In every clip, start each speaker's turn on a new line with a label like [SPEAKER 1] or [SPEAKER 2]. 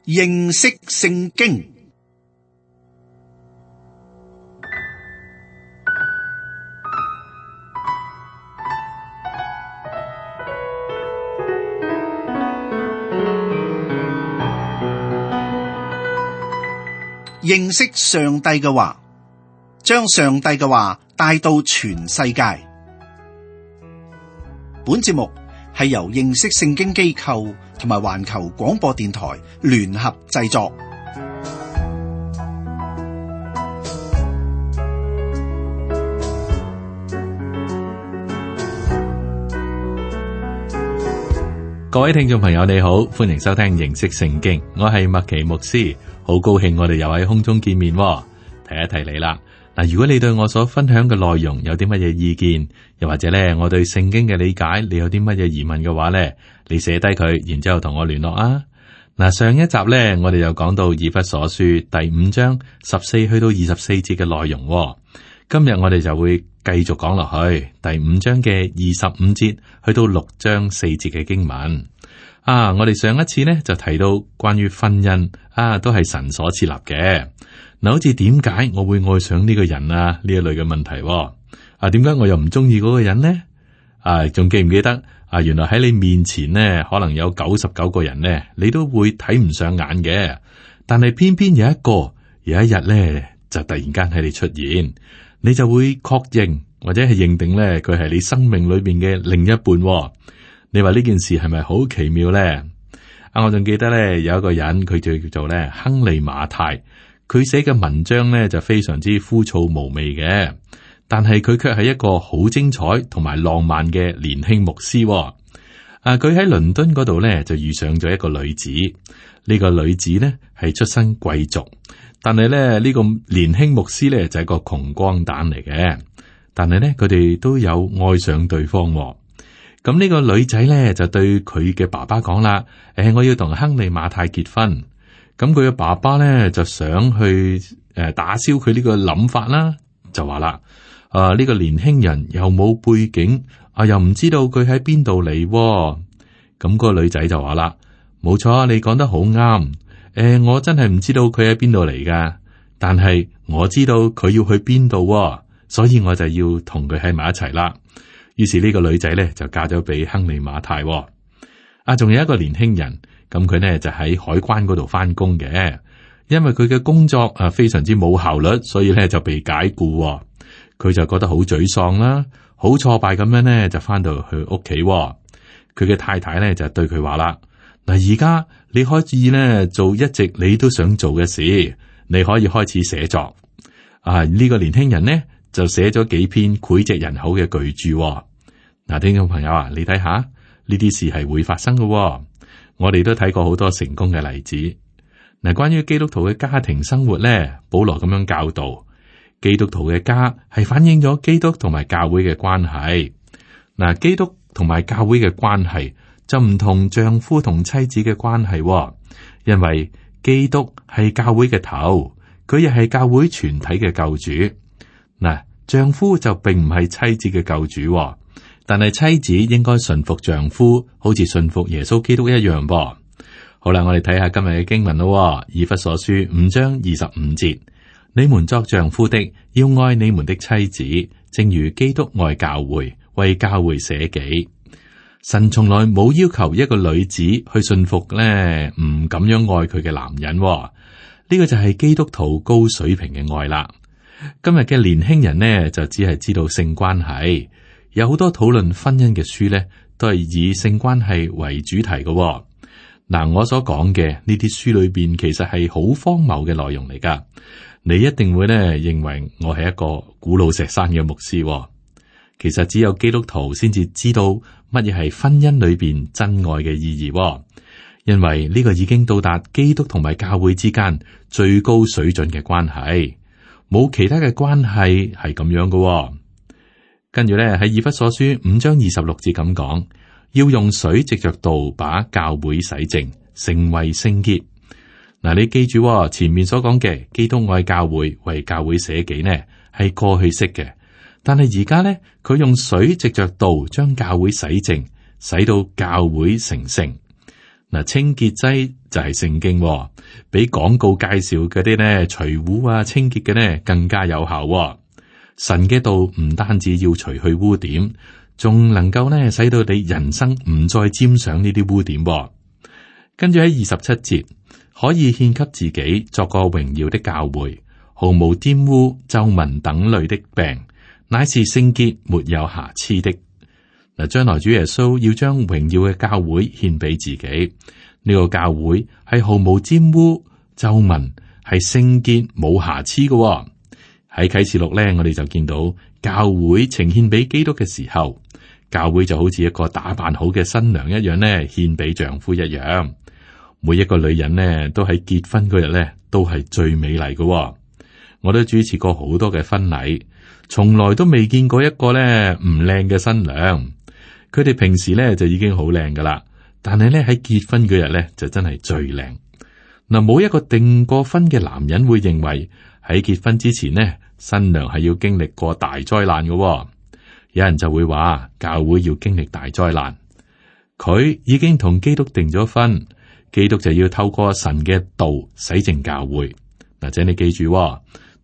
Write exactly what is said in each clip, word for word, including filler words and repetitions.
[SPEAKER 1] 認識聖經。認識上帝嘅話，將上帝嘅話帶到全世界。本節目係由認識聖經機構同埋環球廣播電台聯合製作。
[SPEAKER 2] 各位聽眾朋友你好，歡迎收聽認識聖經，我係麥奇牧師，好高興我哋又喺空中見面。提一提你啦，嗱，如果你對我所分享嘅內容有啲乜嘢意見，又或者咧我對聖經嘅理解，你有啲乜嘢疑問嘅話咧，你寫低佢，然之後同我聯絡啊。嗱，上一集咧我哋又講到以弗所書第五章十四去到二十四節嘅內容，今日我哋就會繼續講落去第五章嘅二十五節去到六章四節嘅經文。啊，我哋上一次呢就提到關於婚姻啊，都係神所設立嘅。嗱，好似點解我會愛上呢個人啊？呢一類嘅問題。啊，點解我又唔中意嗰個人呢？啊，仲記唔記得啊？原來喺你面前呢，可能有九十九個人呢，你都會睇唔上眼嘅。但係偏偏有一個，有一日呢，就突然間喺你出現，你就會確認或者係認定呢，佢係你生命裏邊嘅另一半。你話呢件事係咪好奇妙呢？啊，我仲記得呢，有一個人，佢就叫做呢亨利馬太。佢寫嘅文章咧就非常之枯燥無味嘅，但係佢卻係一個好精彩同埋浪漫嘅年輕牧師。啊，佢喺倫敦嗰度咧就遇上咗一個女子，呢個女子呢係出身貴族，但係咧呢個年輕牧師咧就係個窮光蛋嚟嘅。但係咧佢哋都有愛上對方。咁呢個女仔咧就對佢嘅爸爸講啦：誒，我要同亨利馬太結婚。咁佢嘅爸爸咧就想去誒打消佢呢個諗法啦，就話啦：啊，呢個年輕人又冇背景，啊又唔知道佢喺邊度嚟。咁嗰個女仔就話啦：冇錯，你講得好啱。誒，我真係唔知道佢喺邊度嚟噶，但係我知道佢要去邊度，所以我就要同佢喺埋一齊啦。於是呢個女仔咧就嫁咗俾亨利馬太。啊，仲有一個年輕人。咁佢呢就喺海關嗰度翻工嘅，因為佢嘅工作啊非常之冇效率，所以呢就被解僱。佢就覺得好沮喪啦，好挫敗咁樣呢就翻到去屋企。佢嘅太太呢就對佢話啦：嗱，而家你可以呢做一直你都想做嘅事，你可以開始寫作。啊，呢個年輕人呢就寫咗幾篇膾炙人口嘅巨著。嗱，聽眾朋友啊，你睇下呢啲事係會發生嘅。我哋都睇過好多成功嘅例子。嗱，關於基督徒嘅家庭生活咧，保羅咁樣教導，基督徒嘅家係反映咗基督同埋教會嘅關係。嗱，基督同埋教會嘅關係就唔同丈夫同妻子嘅關係，因為基督係教會嘅頭，佢亦係教會全體嘅救主。嗱，丈夫就並唔係妻子嘅救主。但係妻子應該順服丈夫，好似順服耶穌基督一樣噃。好啦，我哋睇下今日嘅經文咯。以弗所書五章二十五節：你們作丈夫的，要愛你們的妻子，正如基督愛教會，為教會捨己。神從來冇要求一個女子去順服咧，唔咁樣愛佢嘅男人。呢個就係基督徒高水平嘅愛啦。今日嘅年輕人呢，就只係知道性關係。有好多討論婚姻嘅書咧，都係以性關係為主題嘅。嗱，我所講嘅呢啲書裏邊，其實係好荒謬嘅內容嚟噶。你一定會咧認為我係一個古老石山嘅牧師。其實只有基督徒先至知道乜嘢係婚姻裏邊真愛嘅意義。因為呢個已經到達基督同埋教會之間最高水準嘅關係，冇其他嘅關係係咁樣嘅。跟住咧喺以弗所書五章二十六節咁講，要用水藉着道把教會洗淨，成為聖潔。嗱，你記住前面所講嘅基督愛教會，為教會捨己呢，係過去式嘅。但係而家呢，佢用水藉着道將教會洗淨，使到教會成聖。嗱，清潔劑就係聖經，比廣告介紹嗰啲呢除污啊清潔嘅呢更加有效。神嘅道唔單止要除去污點，仲能夠呢使到你人生唔再沾上呢啲污點。跟住喺二十七節，可以獻給自己作個榮耀的教會，毫無玷污、皺紋等類的病，乃是聖潔沒有瑕疵的。嗱，將來主耶穌要將榮耀嘅教會獻俾自己，呢個教會係毫無沾污、皺紋，係聖潔冇瑕疵嘅。喺啟示錄咧，我哋就見到教會呈獻俾基督嘅時候，教會就好似一個打扮好嘅新娘一樣咧，獻俾丈夫一樣。每一個女人呢，都喺結婚嗰日咧，都係最美麗嘅。我都主持過好多嘅婚禮，從來都未見過一個咧唔靚嘅新娘。佢哋平時咧就已經好靚噶啦，但係咧喺結婚嗰日咧就真係最靚。嗱，冇一個訂過婚嘅男人會認為喺結婚之前呢，新娘係要經歷過大災難嘅。有人就會話教會要經歷大災難，佢已經同基督訂咗婚，基督就要透過神嘅道洗淨教會。嗱，請你記住，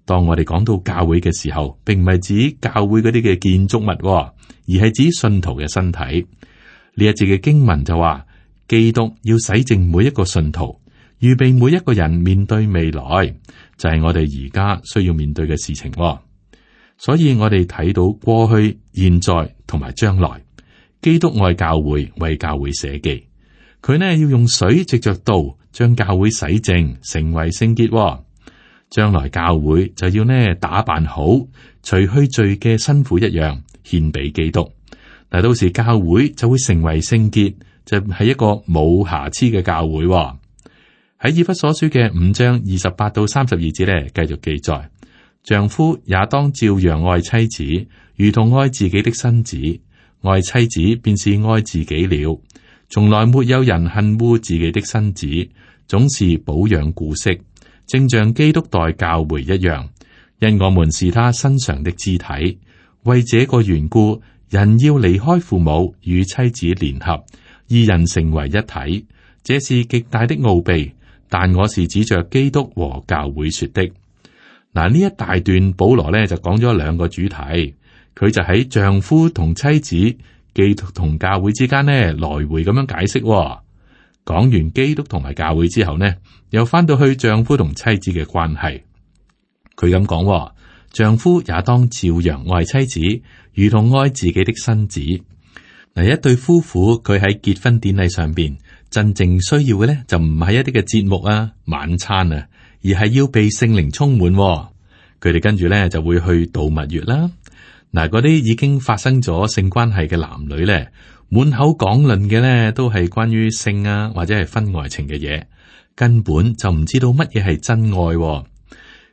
[SPEAKER 2] 當我哋講到教會嘅時候，並唔係指教會嗰啲嘅建築物，而係指信徒嘅身體。呢一節嘅經文就話，基督要洗淨每一個信徒，預備每一個人面對未來，就係我哋而家需要面對嘅事情。所以我哋睇到過去、現在同埋將來，基督愛教會，為教會捨己。佢呢要用水藉着道將教會洗淨，成為聖潔。將來教會就要呢打扮好，除去罪嘅辛苦一樣，獻俾基督。但到時教會就會成為聖潔，就係一個冇瑕疵嘅教會。喺以弗所書嘅五章二十八到三十二節呢，繼續記載：丈夫也當照樣愛妻子，如同愛自己的身子；愛妻子便是愛自己了。從來沒有人恨惡自己的身子，總是保養顧惜，正像基督待教會一樣，因我們是他身上的肢體。為這個緣故，人要離開父母，與妻子聯合，二人成為一體。這是極大的奧秘，但我是指着基督和教會說的。嗱，呢一大段保羅咧就講咗兩個主題，佢就喺丈夫同妻子、基督同教會之間呢來回咁樣解釋。講完基督同埋教會之後呢，又翻到去丈夫同妻子嘅關係。佢咁講：丈夫也當照樣愛妻子，如同愛自己的身子。嗱，一對夫婦佢喺結婚典禮上邊真正需要嘅呢，就唔係一啲嘅節目啊、晚餐啊，而係要被聖靈充滿。佢哋跟住呢就會去度蜜月啦。嗱，嗰啲已經發生咗性關係嘅男女呢，滿口講論嘅呢都係關於性啊或者係婚外情嘅嘢，根本就唔知道乜嘢係真愛。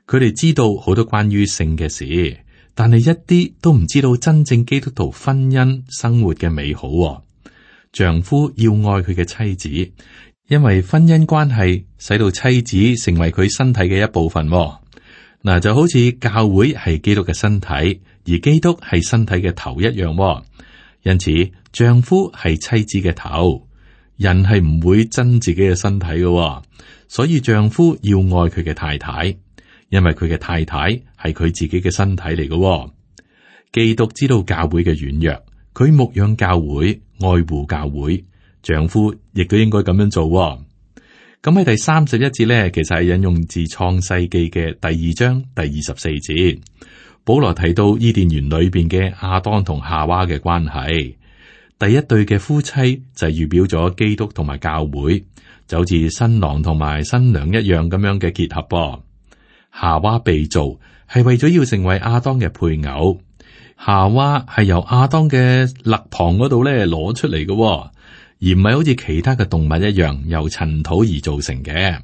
[SPEAKER 2] 佢哋知道好多關於性嘅事，但係一啲都唔知道真正基督徒婚姻生活嘅美好。丈夫要愛佢嘅妻子，因為婚姻關係使到妻子成為佢身體嘅一部分。嗱，就好似教會係基督嘅身體，而基督係身體嘅頭一樣。因此，丈夫係妻子嘅頭。人係唔會憎自己嘅身體嘅，所以丈夫要愛佢嘅太太，因為佢嘅太太係佢自己嘅身體嚟嘅。基督知道教會嘅軟弱，佢牧養教會，愛護教會，丈夫亦都應該咁樣做。咁喺第三十一節咧，其實係引用自創世記嘅第二章第二十四節，保羅提到伊甸園裏邊嘅亞當同夏娃嘅關係。第一對嘅夫妻就係預表咗基督同埋教會，就好似新郎同埋新娘一樣咁樣嘅結合噃。夏娃被造係為咗要成為亞當嘅配偶，夏娃係由亞當嘅肋旁嗰度咧攞出嚟嘅。而唔係好似其他嘅動物一樣由塵土而造成嘅。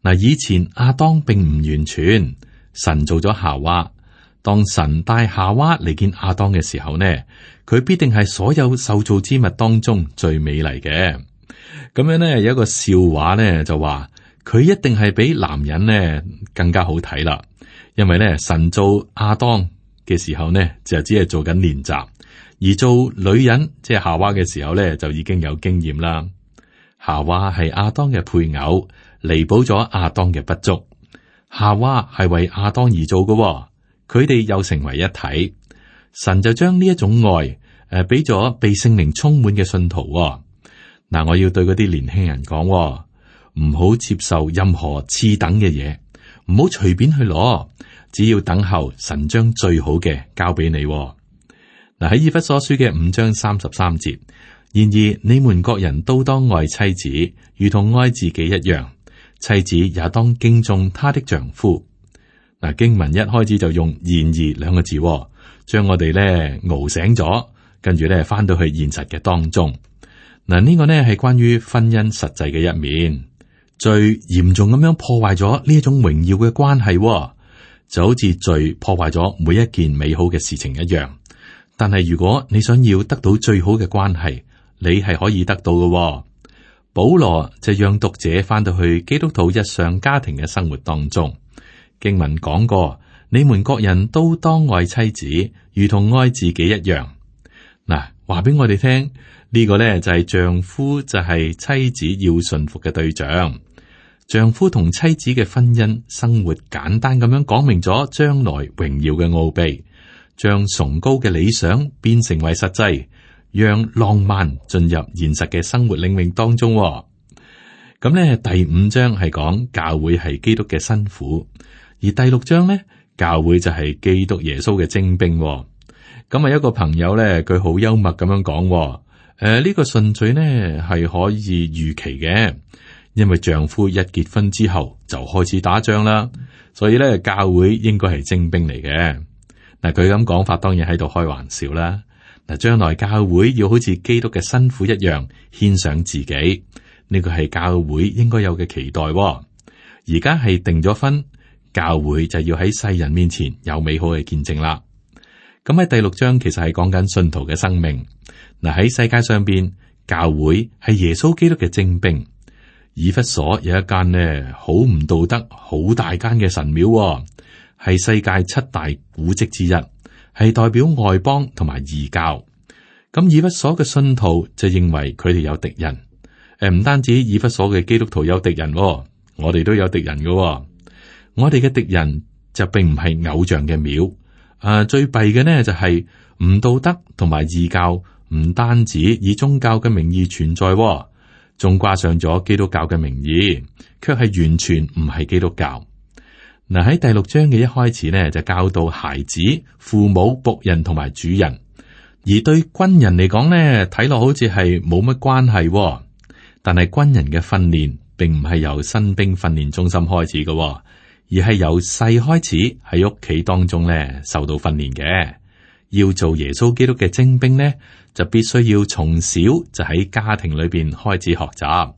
[SPEAKER 2] 嗱，以前亞當並唔完全，神做咗夏娃。當神帶夏娃嚟見亞當嘅時候呢，佢必定係所有受造之物當中最美麗嘅。咁樣呢，有一個笑話呢，就話佢一定係比男人呢更加好睇啦。因為呢，神做亞當嘅時候呢，就只係做緊練習。而做女人即係夏娃嘅時候咧，就已經有經驗啦。夏娃係亞當嘅配偶，彌補咗亞當嘅不足。夏娃係為亞當而做嘅，佢哋又成為一體。神就將呢一種愛誒俾咗被聖靈充滿嘅信徒。嗱，我要對嗰啲年輕人講，唔好接受任何次等嘅嘢，唔好隨便去攞，只要等候神將最好嘅交俾你。嗱，喺以弗所書嘅五章三十三節，然而你們各人都當愛妻子，如同愛自己一樣，妻子也當敬重她的丈夫。嗱，經文一開始就用然而兩個字，將我哋咧熬醒咗，跟住咧翻到去現實嘅當中。嗱，呢個呢係關於婚姻實際嘅一面，最嚴重咁樣破壞咗呢一種榮耀嘅關係，就好似罪破壞咗每一件美好嘅事情一樣。但係如果你想要得到最好嘅關係，你係可以得到嘅。保羅就讓讀者翻到去基督徒日常家庭嘅生活當中。經文講過，你們各人都當愛妻子，如同愛自己一樣。嗱，話俾我哋聽。呢個呢就係丈夫就係妻子要順服嘅對象，丈夫同妻子嘅婚姻生活簡單咁樣講明咗將來榮耀嘅奧秘，將崇高嘅理想變成為實際，讓浪漫進入現實嘅生活領域當中。咁呢第五章係講教會係基督嘅新婦，而第六章呢教會就係基督耶穌嘅精兵。咁啊，一個朋友呢，佢好幽默咁樣講。誒，呢、呃這個順序呢係可以預期嘅，因為丈夫一結婚之後就開始打仗啦，所以咧教會應該係精兵嚟嘅。嗱，佢咁講法當然喺度開玩笑啦。嗱，將來教會要好似基督嘅新婦一樣獻上自己，呢個係教會應該有嘅期待。而家係定咗婚，教會就要喺世人面前有美好嘅見證啦。咁喺第六章其實係講緊信徒嘅生命。嗱，喺世界上邊，教會係耶穌基督嘅精兵。以弗所有一間呢好唔道德、好大間嘅神廟，係世界七大古蹟之一，係代表外邦同埋異教。咁以弗所嘅信徒就認為佢哋有敵人。誒，唔單止以弗所嘅基督徒有敵人，我哋都有敵人嘅。我哋嘅敵人就並唔係偶像嘅廟。誒，最弊嘅呢就係唔道德同埋異教。唔單止以宗教嘅名義存在，仲掛上咗基督教嘅名義，卻係完全唔係基督教。嗱，喺第六章嘅一開始呢，就教導孩子、父母、僕人同埋主人，而對軍人嚟講呢，睇落好似係冇乜關係。但係軍人嘅訓練並唔係由新兵訓練中心開始嘅，而係由細開始喺屋企當中呢受到訓練嘅。要做耶穌基督嘅精兵呢，就必須要從小就喺家庭裏邊開始學習，而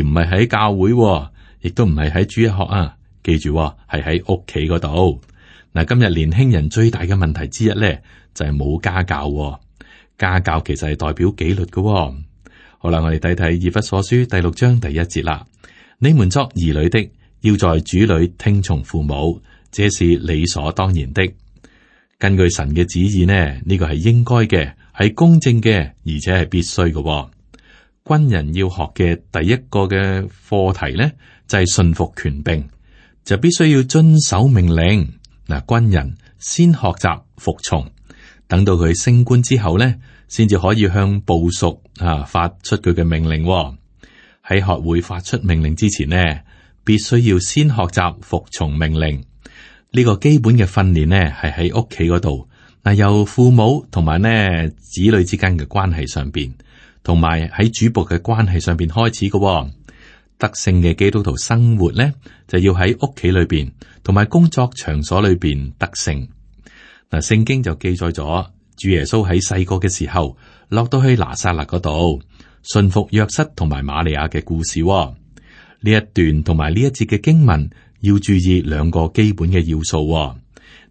[SPEAKER 2] 唔係喺教會，亦都唔係喺主日學啊。記住，係喺屋企嗰度。嗱，今日年輕人最大嘅問題之一呢，就係冇家教。家教其實係代表紀律嘅。好啦，我哋睇睇以弗所書第六章第一節啦。你們作兒女的，要在主裏聽從父母，這是理所當然的。根據神嘅旨意呢，呢個係應該嘅，係公正嘅，而且係必須嘅。軍人要學嘅第一個嘅課題呢，就係順服權柄，就必須要遵守命令。嗱，軍人先學習服從，等到佢升官之後呢，先至可以向部屬啊發出佢嘅命令。喺學會發出命令之前呢，必須要先學習服從命令。呢個基本嘅訓練呢，係喺屋企嗰度，嗱，由父母同埋呢子女之間嘅關係上邊，同埋喺主僕嘅關係上邊開始嘅。得勝嘅基督徒生活呢，就要喺屋企裏邊，同埋工作場所裏邊得勝。嗱，聖經就記載咗主耶穌喺細個嘅時候，落到去拿撒勒嗰度，順服約瑟同埋瑪利亞嘅故事。呢一段同埋呢一節嘅經文，要注意兩個基本嘅要素。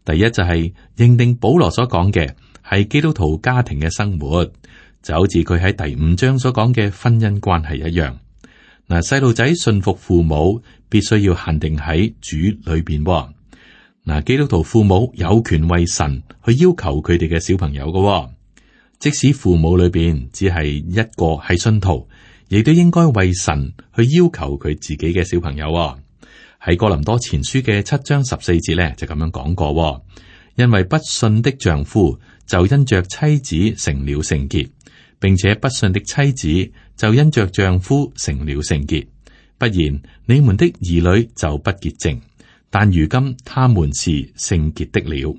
[SPEAKER 2] 第一就係認定保羅所講嘅係基督徒家庭嘅生活，就好似佢喺第五章所講嘅婚姻關係一樣。嗱，細路仔順服父母，必須要限定喺主裏邊。嗱，基督徒父母有權為神去要求佢哋嘅小朋友嘅，即使父母裏邊只係一個係信徒，亦都應該為神去要求佢自己嘅小朋友。喺哥林多前書嘅七章十四節咧就咁樣講過，因為不信的丈夫就因着妻子成了聖潔，並且不信的妻子就因着丈夫成了聖潔。不然，你們的兒女就不潔淨，但如今他們是聖潔的了。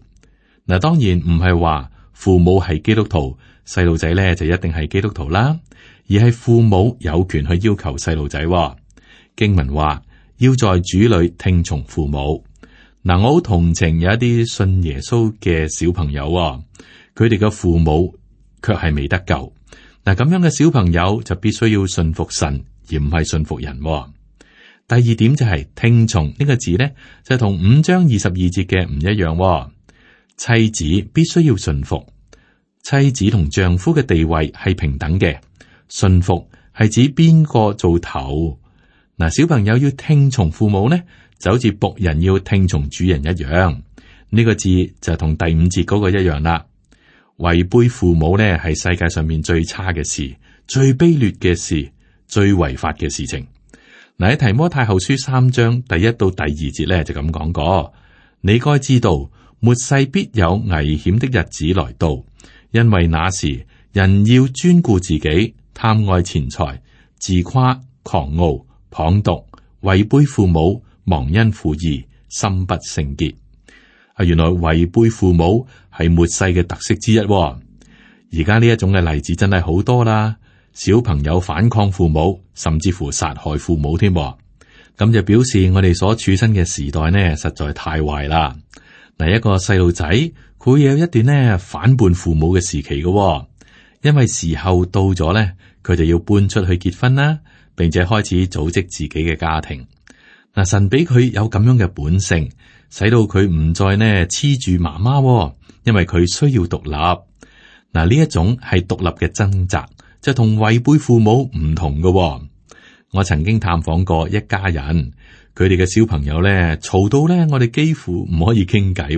[SPEAKER 2] 嗱，當然唔係話父母係基督徒，細路仔咧就一定係基督徒啦，而係父母有權去要求細路仔。經文話要在主裏聽從父母。嗱，我好同情有一啲信耶穌嘅小朋友，佢哋嘅父母卻係未得救。嗱，咁樣嘅小朋友就必須要信服神，而唔係信服人。第二點就係聽從呢個字呢，就同五章二十二節嘅唔一樣。妻子必須要順服，妻子同丈夫嘅地位係平等嘅。順服係指邊個做頭。嗱，小朋友要聽從父母呢，就好似僕人要聽從主人一樣。呢個字就同第五節嗰個一樣啦。違背父母呢係世界上面最差嘅事，最卑劣嘅事，最違法嘅事情。嗱，喺提摩太後書三章第一到第二節咧就咁講過，你該知道末世必有危險的日子來到，因為那時人要專顧自己，貪愛錢財，自誇、狂傲、謗讟，違背父母，忘恩負義，心不聖潔。啊，原來違背父母係末世嘅特色之一。而家呢一種嘅例子真係好多啦。小朋友反抗父母，甚至乎殺害父母添，咁就表示我哋所處身嘅時代呢，實在太壞啦。嗱，一個細路仔佢有一段呢反叛父母嘅時期嘅，因為時候到咗呢，佢就要搬出去結婚啦，並且開始組織自己嘅家庭。嗱，神俾佢有咁樣嘅本性，使到佢唔再呢黐住媽媽，因為佢需要獨立。嗱，呢一種係獨立嘅掙扎。就同違背父母唔同嘅。我曾經探訪過一家人，佢哋嘅小朋友咧嘈到咧，我哋幾乎唔可以傾偈。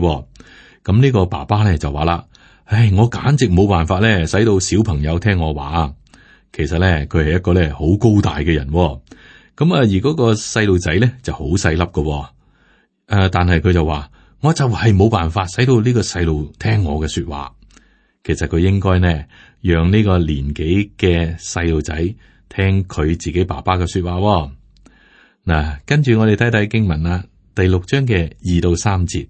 [SPEAKER 2] 咁呢個爸爸咧就話啦：唉，我簡直冇辦法咧，使到小朋友聽我話。其實咧，佢係一個咧好高大嘅人。咁啊，而嗰個細路仔咧就好細粒嘅。誒，但係佢就話：我就係冇辦法使到呢個細路聽我嘅說話。其實佢應該呢，讓呢個年紀嘅細路仔聽佢自己爸爸嘅說話。嗱，跟住我哋睇睇經文啦，第六章嘅二到三節，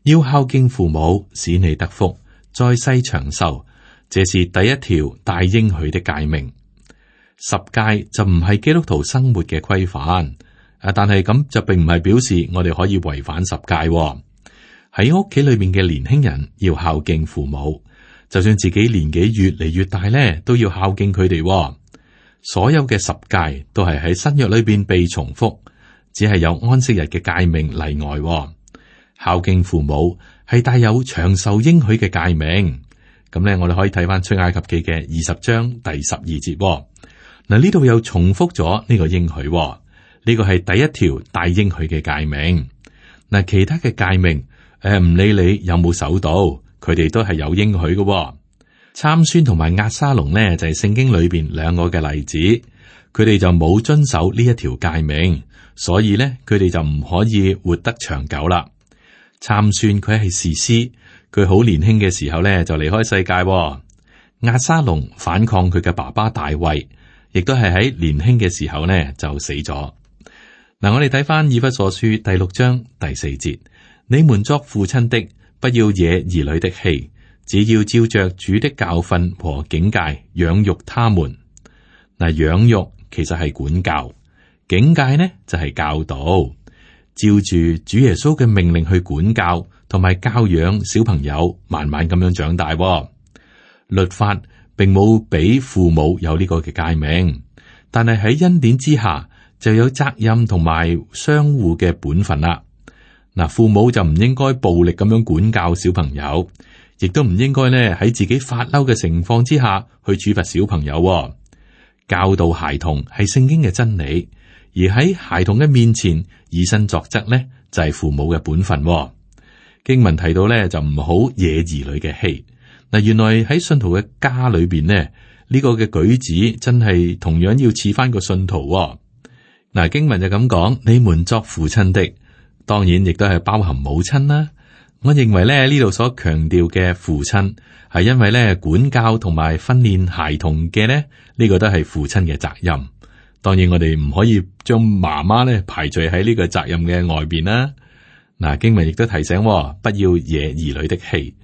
[SPEAKER 2] 要孝敬父母，使你得福，在世長壽，這是第一條大應許的誡命。十誡就唔係基督徒生活嘅規範，啊，但係咁就並唔係表示我哋可以違反十誡。喺屋企裏面嘅年輕人要孝敬父母。就算自己年紀越嚟越大咧，都要孝敬佢哋。所有嘅十誡都係喺新約裏邊被重複，只係有安息日嘅誡命例外。孝敬父母係帶有長壽應許嘅誡命。咁咧，我哋可以睇翻出埃及記嘅二十章第十二節。嗱，呢度又重複咗呢個應許，呢個係第一條大應許嘅誡命。嗱，其他嘅誡命，誒，唔理你有冇守到。佢哋都係有應許嘅。參孫同埋押沙龍呢，就係聖經裏邊兩個嘅例子，佢哋就冇遵守呢一條誡命，所以呢，佢哋就唔可以活得長久啦。參孫佢係士師，佢好年輕嘅時候呢，就離開世界。押沙龍反抗佢嘅爸爸大衛，亦都係喺年輕嘅時候呢就死咗。嗱，我哋睇翻以弗所書第六章第四節，你們作父親的，不要惹兒女的氣，只要照着主的教訓和警戒養育他們。嗱，養育其實係管教，警戒呢就係教導。照住主耶穌嘅命令去管教同埋教養小朋友，慢慢咁樣長大。律法並冇俾父母有呢個嘅誡命，但係喺恩典之下就有責任同埋相互嘅本分啦。嗱，父母就唔應該暴力咁樣管教小朋友，亦都唔應該咧喺自己發嬲嘅情況之下去處罰小朋友。教導孩童係聖經嘅真理，而喺孩童嘅面前以身作則咧，就係父母嘅本分。經文提到咧，就唔好惹兒女嘅氣。嗱，原來喺信徒嘅家裏邊呢，呢個嘅舉止真係同樣要似翻個信徒喎。嗱，經文就咁講，你們作父親的，當然亦都係包含母親啦。我認為咧，呢度所強調嘅父親係因為咧管教同埋訓練孩童嘅咧，呢個都係父親嘅責任。當然我哋唔可以將媽媽咧排除喺呢個責任嘅外邊啦。嗱，經文亦都提醒，不要惹兒女的氣。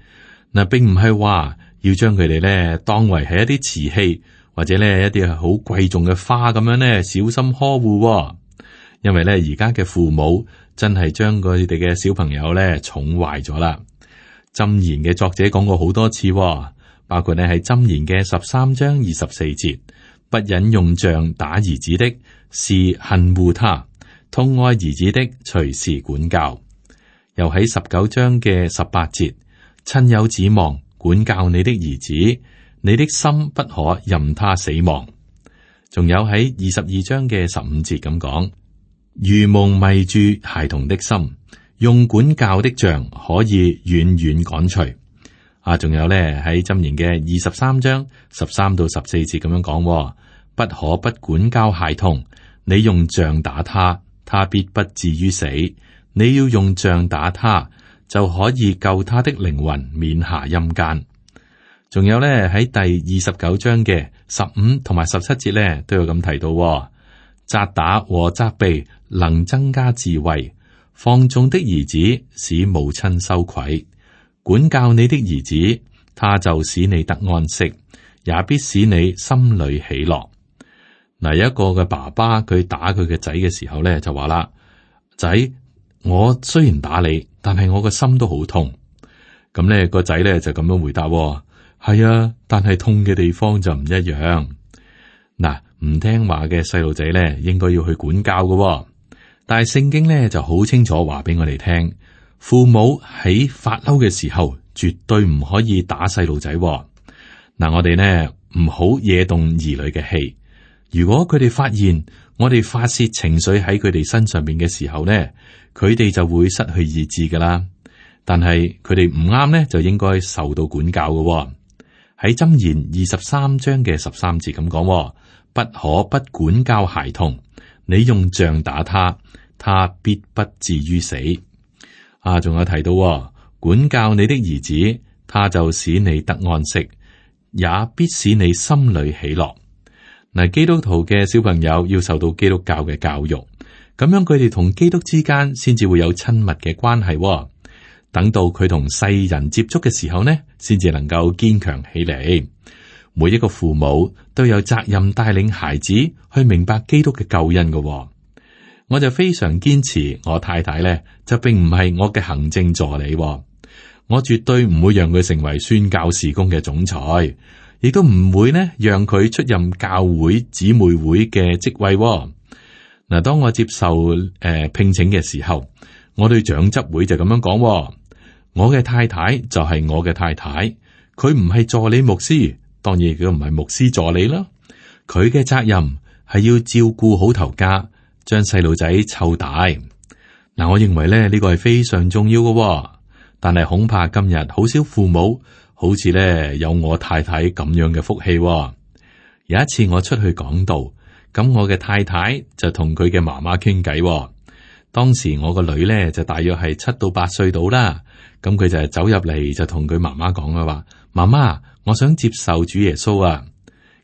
[SPEAKER 2] 嗱，並唔係話要將佢哋咧當為係一啲瓷器，或者咧一啲好貴重嘅花咁樣咧，小心呵護。因為咧而家嘅父母真係將佢哋嘅小朋友咧寵壞咗啦。箴言嘅作者講過好多次，包括咧係箴言嘅十三章二十四節，不忍用杖打兒子的，是恨惡他；痛愛兒子的，隨時管教。又喺十九章嘅十八節，親有指望，管教你的兒子，你的心不可任他死亡。仲有喺二十二章嘅十五節咁講。愚蒙迷住孩童的心，用管教的杖可以遠遠趕除。啊，仲有咧喺箴言嘅二十三章十三到十四節咁樣講，不可不管教孩童，你用杖打他，他必不至於死；你要用杖打他，就可以救他的靈魂免下陰間。仲有咧喺第二十九章嘅十五同埋十七節咧都有咁提到，責打和責備能增加智慧，放縱的兒子使母親羞愧。管教你的兒子，他就使你得安息，也必使你心裏喜樂。嗱，有一個嘅爸爸，佢打佢嘅仔嘅時候咧，就話啦：仔，我雖然打你，但係我個心都好痛。咁咧個仔咧就咁樣回答：係啊，但係痛嘅地方就唔一樣。嗱，唔聽話嘅細路仔咧，應該要去管教嘅。但係聖經咧就好清楚話俾我哋聽，父母喺發嬲嘅時候，絕對唔可以打細路仔。嗱，我哋呢唔好惹動兒女嘅氣。如果佢哋發現我哋發洩情緒喺佢哋身上邊嘅時候呢，佢哋就會失去意志噶啦。但係佢哋唔啱呢，就應該受到管教嘅。喺箴言二十三章嘅十三節咁講，不可不管教孩童，你用杖打他，他必不至於死。啊，仲有提到管教你的兒子，他就使你得安息，也必使你心裏喜樂。嗱，基督徒嘅小朋友要受到基督教嘅教育，咁樣佢哋同基督之間先至會有親密嘅關係。等到佢同世人接觸嘅時候呢，先至能夠堅強起嚟。每一個父母都有責任帶領孩子去明白基督嘅救恩嘅。我就非常堅持，我太太呢就並唔係我嘅行政助理。我絕對唔會讓佢成為宣教事工嘅總裁，亦都唔會呢讓佢出任教會姊妹會嘅職位。嗱，當我接受誒、呃、聘請嘅時候，我對長執會就咁樣講。我嘅太太就係我嘅太太，佢唔係助理牧師，當然佢唔係牧師助理啦。佢嘅責任係要照顧好頭家，將細路仔湊大。嗱，我認為咧呢個係非常重要嘅，但係恐怕今日好少父母好似咧有我太太咁樣嘅福氣。有一次我出去講道，咁我嘅太太就同佢嘅媽媽傾偈。當時我個女咧就大約係七到八歲到啦。咁佢就走入嚟就同佢媽媽講嘅話：媽媽，我想接受主耶穌啊！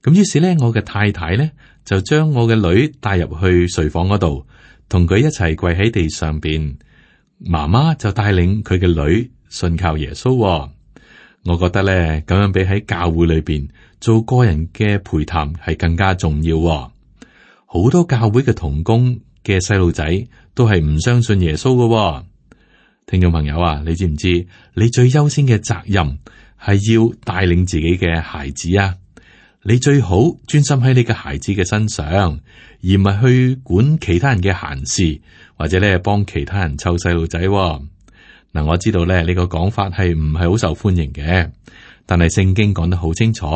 [SPEAKER 2] 咁於是咧，我嘅太太咧就將我嘅女帶入去睡房嗰度，同佢一齊跪喺地上邊。媽媽就帶領佢嘅女信靠耶穌。我覺得咧咁樣比喺教會裏邊做個人嘅陪談係更加重要。好多教會嘅同工嘅細路仔都係唔相信耶穌嘅。聽眾朋友啊，你知唔知你最優先嘅責任係要帶領自己嘅孩子啊？你最好專心喺你嘅孩子嘅身上，而唔係去管其他人嘅閒事，或者咧幫其他人湊細路仔。嗱，我知道咧呢個講法係唔係好受歡迎嘅，但係聖經講得好清楚，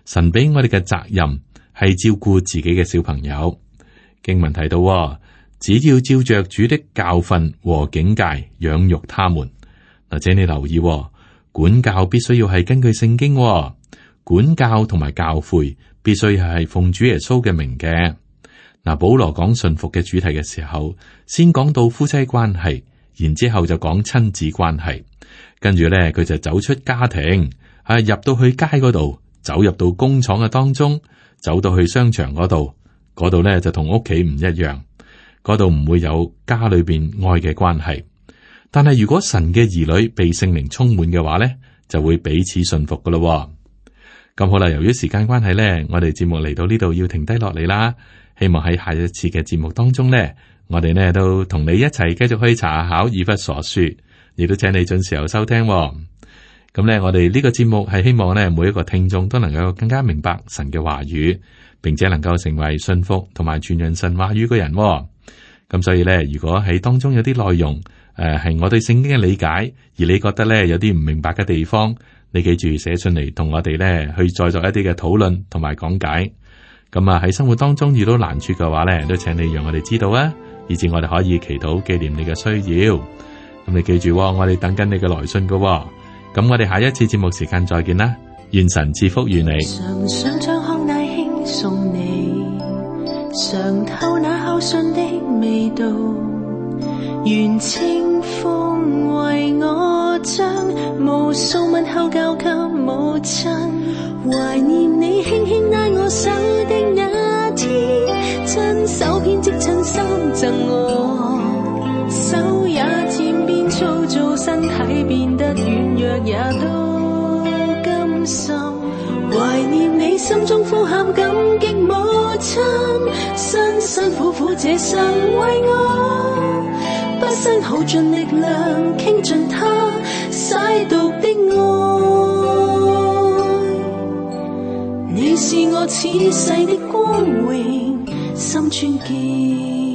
[SPEAKER 2] 神俾我哋嘅責任係照顧自己嘅小朋友。經文提到，只要照着主的教訓和警戒養育他們。嗱，請你留意，管教必須要係根據聖經，管教同埋教誨必須係奉主耶穌嘅名嘅。嗱，保羅講順服嘅主題嘅時候，先講到夫妻關係，然之後就講親子關係，跟住咧佢就走出家庭，啊入到去街嗰度，走入到工廠嘅當中，走到去商場嗰度，嗰度咧就同屋企唔一樣，嗰度唔會有家裏邊愛嘅關係。但係如果神嘅兒女被聖靈充滿嘅話咧，就會彼此順服噶咯。咁好啦，由於時間關係咧，我哋節目嚟到呢度要停低落嚟啦。希望喺下一次嘅節目當中咧，我哋呢都同你一齊繼續去查考以弗所書，亦都請你準時候收聽。咁咧，我哋呢個節目係希望咧每一個聽眾都能夠更加明白神嘅話語，並且能夠成為信服同埋傳揚神話語嘅人。咁所以咧，如果喺當中有啲內容誒係我對聖經嘅理解，而你覺得咧有啲唔明白嘅地方，你記住寫信嚟同我哋咧去再作一啲嘅討論同埋講解。咁啊喺生活當中遇到難處嘅話咧，都請你讓我哋知道啊，以至我哋可以祈禱紀念你嘅需要。咁你記住，我哋等緊你嘅來信噶。咁我哋下一次節目時間再見啦，願神賜福於你。
[SPEAKER 3] 常想將康乃馨送你，常透那孝順的味道，願清風為我將無數問候交給母親，懷念你輕輕拉我手的那天，親手編織襯衫贈我，手也漸變粗糙，身體變得軟弱也都甘心，懷念你心中呼喊感激母親，辛辛苦苦這生為我，畢生耗盡力量傾盡他灑毒的愛，你是我此世的光榮，心尊敬。